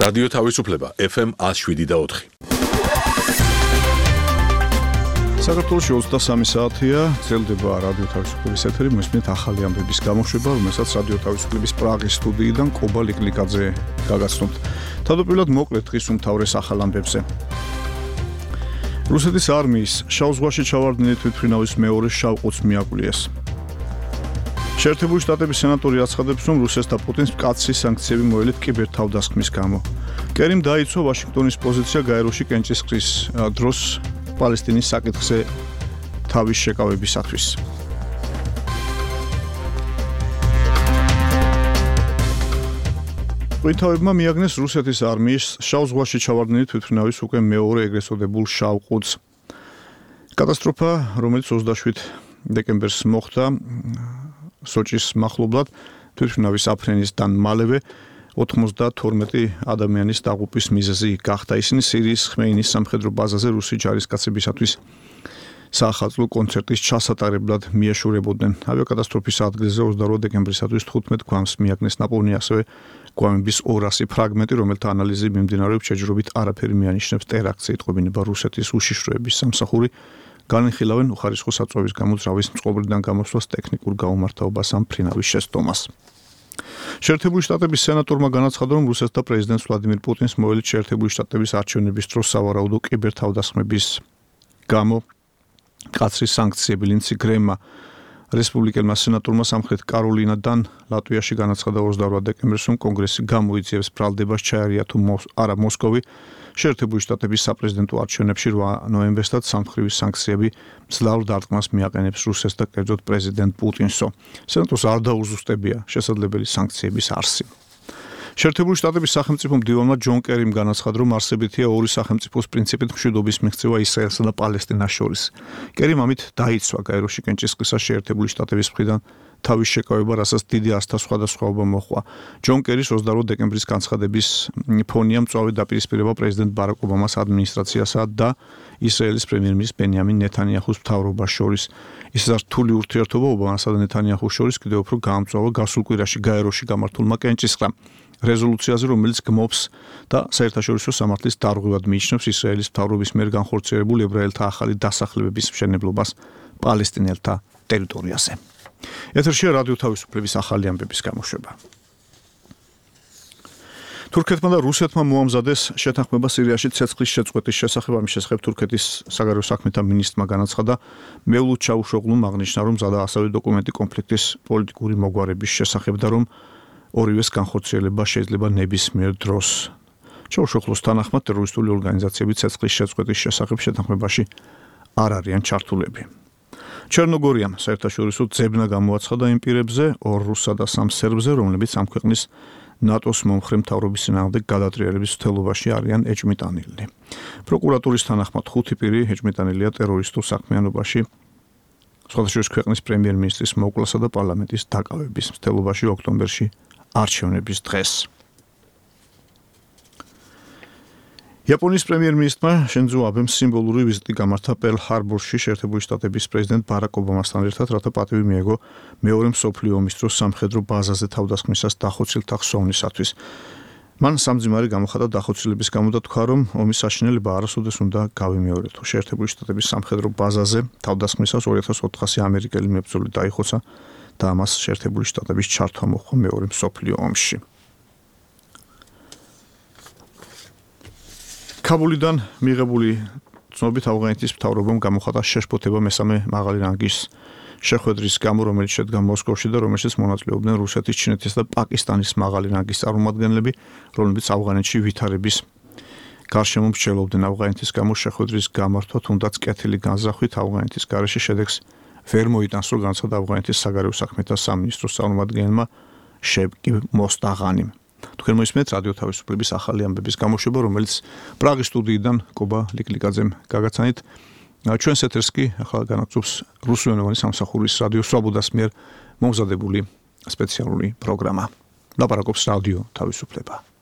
რადიო თავისუფლება FM 107.4. საქართველოში 23 საათია, ძლდება რადიო თავისუფლების ეთერი, მოსმენთ ახალი ამბების გამოშვება, რომელსაც რადიო თავისუფლების პრაღის სტუდიიდან კობა ლიკლიკაძე გაგაცნობთ. თავდაპირველად მოკლედ დღის უმთავრეს ახალ ამბებზე. რუსეთის არმიის შავ ზღვაში ჩავარდნილი თვითმფრინავის მეორე შავყუთს მიაკვლიეს. შეერთებული შტატების სენატორი აცხადებს, რომ რუსეთს და პუტინს მკაცრი სანქციები მოელით კიბერთავდასხმის გამო. კერიმ დაიცვა ვაშინგტონის პოზიცია გაეროში კენჭისყრის დროს პალესტინის საკითხზე თავის შეკავებისათვის. ბრიტანეთმა მიაგნეს რუსეთის არმიის შავ ზღვაში ჩავარდნილი თვითმფრინავის უკვე მეორე ეგრეთ წოდებულ შავყუთს. კატასტროფა, რომელიც 27 დეკემბერს მოხდა სოჭის მახლობლად, თვითმფრინავის აფრენისგან მალევე 92 ადამიანის დაღუპვის მიზეზი გახდა. ისინი სირიის ხმეინის სამხედრო ბაზაზე რუსი ჯარისკაცებისათვის საახალწლო კონცერტის ჩასატარებლად მიეშურებოდნენ. ავიაკატასტროფის ადგილზე 28 დეკემბრისათვის 15 გვამს მიაგნეს ნაპოვნი ასევე გვამების 200 ფრაგმენტი, რომელთა ანალიზი მიმდინარეობს, შეჯიბრობით არაფერი მიანიშნებს ტერაქტზე იტყობინება რუსეთის უშიშროების სამსახური. განიხილავენ უხარისხო საწვევის გამო ძრავის მწყობრიდან გამოსვლას ტექნიკურ გაუმართავობას ამ ფრინავის შესტომას. შეერთებული შტატების სენატორმა განაცხადა, რომ რუსეთს და პრეზიდენტ ვლადიმირ პუტინს მოელით შეერთებული შტატების არჩევნების დროს სავარაუდო კიბერთავდასხმების გამო მკაცრი სანქციები. ლინცი გრემმა რესპუბლიკელმა სენატორმა სამხრეთ კაროლინადან ლატვიაში განაცხადა 28 დეკემბერს, რომ კონგრესი გამოიძიებს ბრალდებას ჩაერია თუ არა მოსკოვი შეერთებული შტატების საპრეზიდენტო არჩევნებში 8 ნოემბერსაც სამხედრო სანქციები მძლავრ დარტყმას მიაყენებს რუსეთს და კერძოდ პრეზიდენტ პუტინსო. სენატორს არ დაუზუსტებია შესაძლებელი სანქციების არსი. შეერთებული შტატების სახელმწიფო მდივანმა ჯონ კერიმ განაცხადა, რომ არსებითია ორი სახელმწიფოს პრინციპით მშვიდობის მიღწევა ისრაელსა და პალესტინას შორის. კერიმ ამით დაიცვა გაეროში კენჭისყრისას შეერთებული შტატების მხრიდან თავის შეკავება, რასაც დიდი ასთა სხვადასხვაობა მოჰყვა. ჯონ კერის 28 დეკემბრის განცხადების ფონია მწვავე დაპირისპირება პრეზიდენტ ბარაკ ობამას ადმინისტრაციასა და ისრაელის პრემიერ-მინისტრის ბენიამინ ნეთანიაჰუს მთავრობას შორის. ის რთული ურთიერთობა ობამასა და ნეთანიაჰუს შორის კიდევ უფრო გაამწვავა გასულ კვირაში გაეროში გამართულმა კენჭისყრამ. რეზოლუციაზე, რომელიც გმობს და საერთაშორისო სამართლის დარღვევად მიიჩნევს ისრაელის მთავრობის მიერ განხორციელებულ ებრაელთა ახალი დასახლებების მშენებლობას პალესტინელთა ტერიტორიაზე. ეთერშია რადიო თავისუფლების ახალი ამბების გამოშვება. თურქეთმა და რუსეთმა მოამზადეს შეთანხმება სირიაში ცეცხლის შეწყვეტის შესახებ. ამის შესახებ თურქეთის საგარეო საქმეთა მინისტრმა განაცხადა, მევლუდ ჩაუშოღლუმ აღნიშნა, რომ მზადა ასევე დოკუმენტი კონფლიქტის პოლიტიკური მოგვარების შესახებ და რომ ორივეს განხორციელება შეიძლება ნებისმიერ დროს. ჩაუშოღლუს თანახმად ტერორისტული ორგანიზაციები ცეცხლის შეწყვეტის შესახებ შეთანხმებაში არ არიან ჩართულები. ჩერნოგორიამ საერთაშორისო ძებნა გამოაცხადა იმ პირებზე 2 რუსსა და 3 სერბზე, რომლებიც ამ ქვეყნის ნატოს მომხრე მთავრობის წინააღმდეგ გადატრიალების მცდელობაში არიან ეჭვმიტანილნი. პროკურატურის თანახმად 5 პირი ეჭვმიტანილია ტერორისტულ საქმიანობაში სხვადასხვა ქვეყნის პრემიერ-მინისტრის მოკვლასა და პარლამენტის დაკავების მცდელობაში ოქტომბერში არჩევნების დღეს. იაპონიის პრემიერ-მინისტრმა შინძო აბემ სიმბოლური ვიზიტი გამართა პერლ-ჰარბორში შეერთებული შტატების პრეზიდენტ ბარაკ ობამასთან ერთად, რათა პატივი მიეღო მეორე მსოფლიო ომის დროს სამხედრო ბაზაზე თავდასხმისას დახოცილთა ხსოვნისათვის. მან სამძიმარი გამოხატა დახოცილების გამო და თქვა, რომ ომის საშინელება არასოდეს უნდა გავიმეორებთო. შეერთებული შტატების სამხედრო ბაზაზე თავდასხმისას 2400 ამერიკელი მებრძოლი დაიხოცა და ამას შეერთებული შტატების ჩართვა მოჰყვა მეორე მსოფლიო ომში. კაბულიდან მიღებული ცნობით ავღანეთის მთავრობამ გამოხატა შეშფოთება მესამე მაღალი რანგის შეხვედრის გამო, რომელიც შედგა მოსკოვში და რომელშიც მონაწილეობდნენ რუსეთის, ჩინეთის და პაკისტანის მაღალი რანგის წარმომადგენლები, რომლებიც ავღანეთში ვითარების გარშემო მსჯელობდნენ. ავღანეთის გამო შეხვედრის გამართვა თუნდაც კეთილი განზრახვით ავღანეთის გარეშე შედეგს ვერ მოიტანს, რომ განაცხადა ავღანეთის საგარეო საქმეთა სამინისტროს წარმომადგენელმა შევკი მოსტაღანიმ. თქვენ მოისმენთ რადიო თავისუფლების ახალი ამბების გამოშვება, რომელიც პრაღის სტუდიიდან კობა ლიკლიკაძემ გაგაცანით. ჩვენს ეთერს კი ახლა განაგზობს რუსულენოვანი სამსახურის რადიო სვაბოდას მიერ მომზადებული სპეციალური პროგრამა. ლაპარაკობს რადიო თავისუფლება.